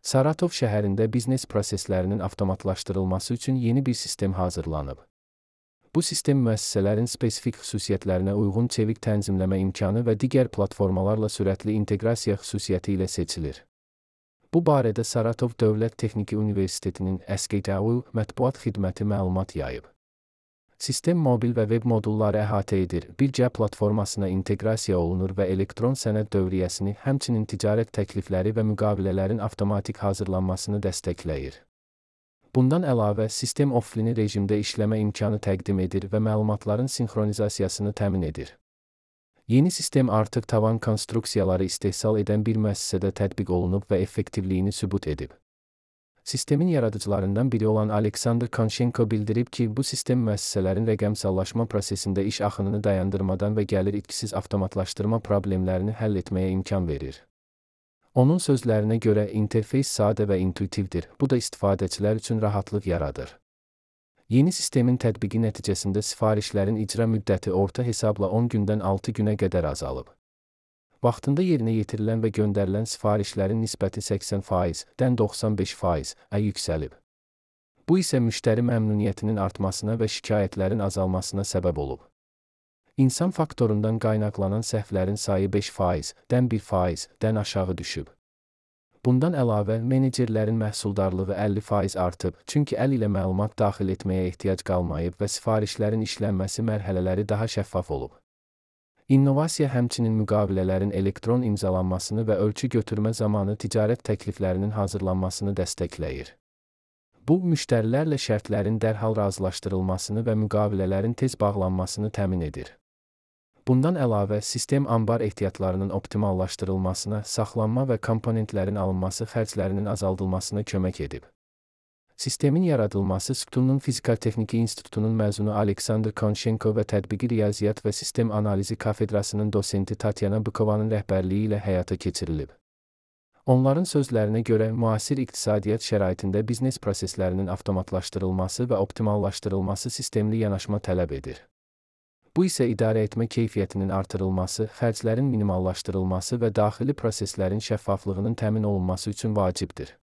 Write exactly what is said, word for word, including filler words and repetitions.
Saratov şəhərində biznes proseslərinin avtomatlaşdırılması üçün yeni bir sistem hazırlanıb. Bu sistem müəssisələrin spesifik xüsusiyyətlərinə uyğun çevik tənzimləmə imkanı və digər platformalarla sürətli inteqrasiya xüsusiyyəti ilə seçilir. Bu barədə Saratov Dövlət Texniki Universitetinin S K T U mətbuat xidməti məlumat yayıb. Sistem mobil və web modulları əhatə edir, birgə platformasına inteqrasiya olunur və elektron sənəd dövriyyəsini, həmçinin ticarət təklifləri və müqavilələrin avtomatik hazırlanmasını dəstəkləyir. Bundan əlavə, sistem offline rejimdə işləmə imkanı təqdim edir və məlumatların sinxronizasiyasını təmin edir. Yeni sistem artıq tavan konstruksiyaları istehsal edən bir müəssisədə tətbiq olunub və effektivliyini sübut edib. Sistemin yaradıcılarından biri olan Aleksandr Konshenko bildirib ki, bu sistem müəssisələrin rəqəmsallaşma prosesində iş axınını dayandırmadan və gəlir itkisiz avtomatlaşdırma problemlərini həll etməyə imkan verir. Onun sözlərinə görə, interfeys sadə və intuitivdir, bu da istifadəçilər üçün rahatlıq yaradır. Yeni sistemin tətbiqi nəticəsində sifarişlərin icra müddəti orta hesabla on gündən altı günə qədər azalıb. Vaxtında yerinə yetirilən və göndərilən sifarişlərin nisbəti səksən faizdən doxsan beş faiza yüksəlib. Bu isə müştəri məmnuniyyətinin artmasına və şikayətlərin azalmasına səbəb olub. İnsan faktorundan qaynaqlanan səhvlərin sayı beş faizdən bir faizdən aşağı düşüb. Bundan əlavə, menecerlərin məhsuldarlığı əlli faiz artıb, çünki əl ilə məlumat daxil etməyə ehtiyac qalmayıb və sifarişlərin işlənməsi mərhələləri daha şəffaf olub. İnnovasiya həmçinin müqavilələrin elektron imzalanmasını və ölçü götürmə zamanı ticarət təkliflərinin hazırlanmasını dəstəkləyir. Bu, müştərilərlə şərtlərin dərhal razılaşdırılmasını və müqavilələrin tez bağlanmasını təmin edir. Bundan əlavə, sistem anbar ehtiyatlarının optimallaşdırılmasına, saxlanma və komponentlərin alınması xərclərinin azaldılmasına kömək edib. Sistemin yaradılması Sütunun Fizikal Texniki İnstitutunun məzunu Aleksandr Konshenko və Tətbiqi Riyaziyyat və Sistem Analizi Kafedrasının dosenti Tatyana Bykovanın rəhbərliyi ilə həyata keçirilib. Onların sözlərinə görə, müasir iqtisadiyyat şəraitində biznes proseslərinin avtomatlaşdırılması və optimallaşdırılması sistemli yanaşma tələb edir. Bu isə idarə etmə keyfiyyətinin artırılması, xərclərin minimallaşdırılması və daxili proseslərin şəffaflığının təmin olunması üçün vacibdir.